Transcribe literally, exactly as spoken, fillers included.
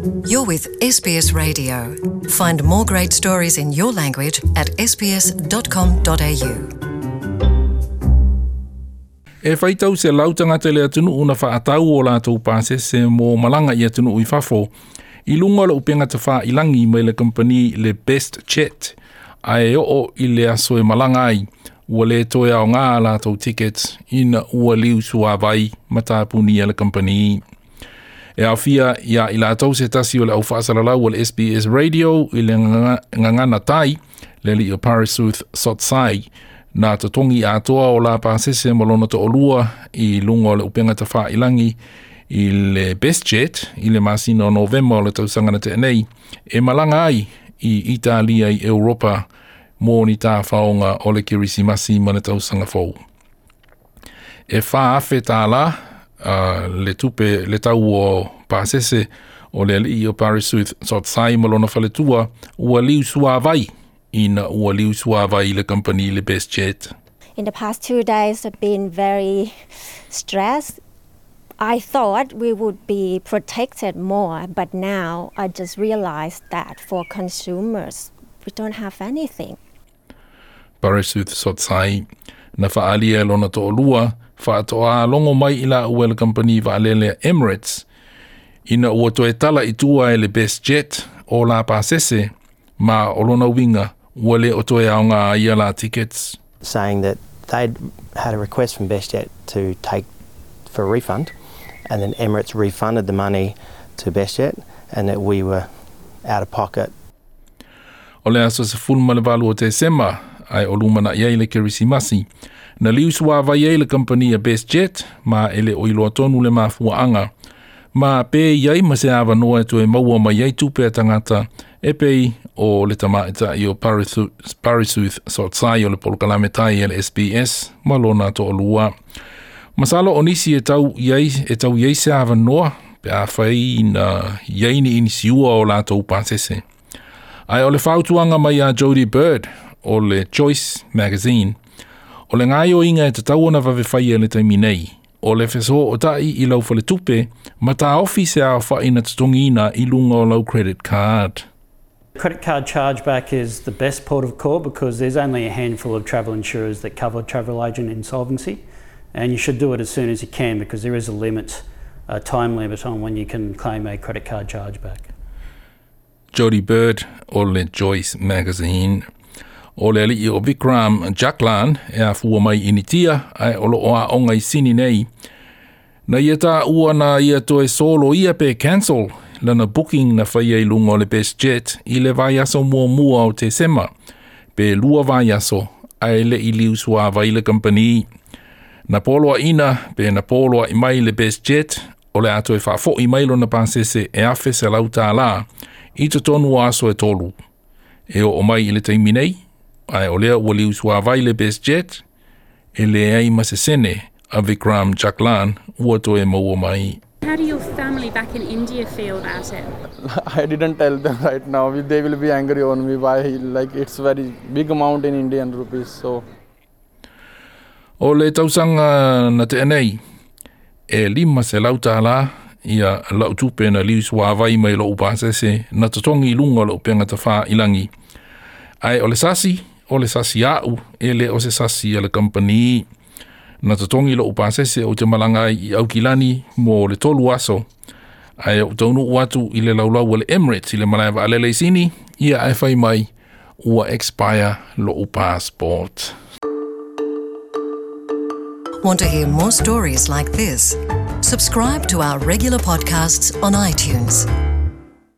You're with S B S Radio. Find more great stories in your language at S B S dot com dot A U. E faitau selau tagata le atunuu na faatau o latou pasese mo malaga i atunuu i fafo i luga o le upega tafailagi mai le kampani le BestJet, ae oo i le aso e malaga ai ua le toe aoga latou tickets ina ua liu suavai ma tapunia le kampani. E aofia ia i latou se tasi o le au faasalalau o le S B S Radio i le gagana Thai, le alii o Parisuth Sodsai, na totogi atoa o la pasese ma lona to'olua i luga o le upega tafailagi i le BestJet i le masina o Novema o le tausaga na tea nei e malaga ai i Italia i Europa mo ni tafaoga o le Kerisimasi ma le tausaga fou. E fa afe tālā uh, le tupe le tau o pasese o le alii o Parisuth Sodsai ma lona faletua ua liu suavai ina ua liu suavai le kampani le BestJet. In the past two days, I've been very stressed. I thought we would be protected more, but now I just realized that for consumers, we don't have anything. Parisuth Sodsai na faaalia e lona to'olua faatoa logo mai i laua e le kampani vaalele Emirates ina ua toe tala i tua e le BestJet o la pasese ma o lona uiga ua le o toe aoga ia la tickets. Saying that they'd had a request from BestJet to take for a refund, and then Emirates refunded the money to BestJet, and that we were out of pocket. O le aso sefulu ma le valu o Tesema, ae o lumana'i ai le Kerisimasi, na liu suavai ai le kampani a BestJet ma e le o iloa tonu le mafuaaga ma pe i ai ma se avanoa e toe maua mai ai tupe a tagata e pei o le tamaitai o Parisuth Sodsai o le polokalame Thai e le S B S ma lona to'olua. Masalo o nisi e tau i ai, e tau i ai se avanoa pe afai na i ai ni inisiua o latou pasese. Ae o le fautuaga mai a Jodie Bird o le Choice Magazine, o le gaoioiga e tatau ona vave faia le taimi nei, o le fesootai i lau faletupe ma taofi se aofa'i na totogiina i luga o lau credit card. Credit card chargeback is the best port of call because there's only a handful of travel insurers that cover travel agent insolvency, and you should do it as soon as you can because there is a limit, a time limit on when you can claim a credit card chargeback. Jodie Bird o le Choice Magazine. O le alii o Vikram Jaklan e afua mai Initia ae o loo aoga i Sini nei. Na ia taua na ia toe solo ia pe cancel lana booking na faia i luga o le BestJet i le vaiaso muamua o Tesema pe lua vaiaso ae le i liu suavai le kampani. Na poloaina pe na poloai mai le BestJet o le a toe faafo'i mai lona pasese e afe selau tālā i totonu o aso e tolu. E oo mai i le taimi nei, ae o lea ua liu suavai le BestJet, e leai ma se sene a Vikram Jaklan ua toe maua mai. How do your family back in India feel about it? I didn't tell them right now. They will be angry on me. Why? Like, it's very big amount in Indian rupees. So O le tausaga na tea nei, e lima selau tālā ia lau tupe na liu suavai mai lou pasese na totogi i luga o le upega tafailagi. Ae o le sasi, o le sasi a'u, e le o se sasi a le kampani. Na totogi lou pasese ou te malaga ai i Aukilani mo le tolu aso. Ae ou taunuu atu i le laulau o le Emirates i le malae vaalele i Sini, ia ae fai mai ua expire lou passport. Want to hear more stories like this? Subscribe to our regular podcasts on iTunes.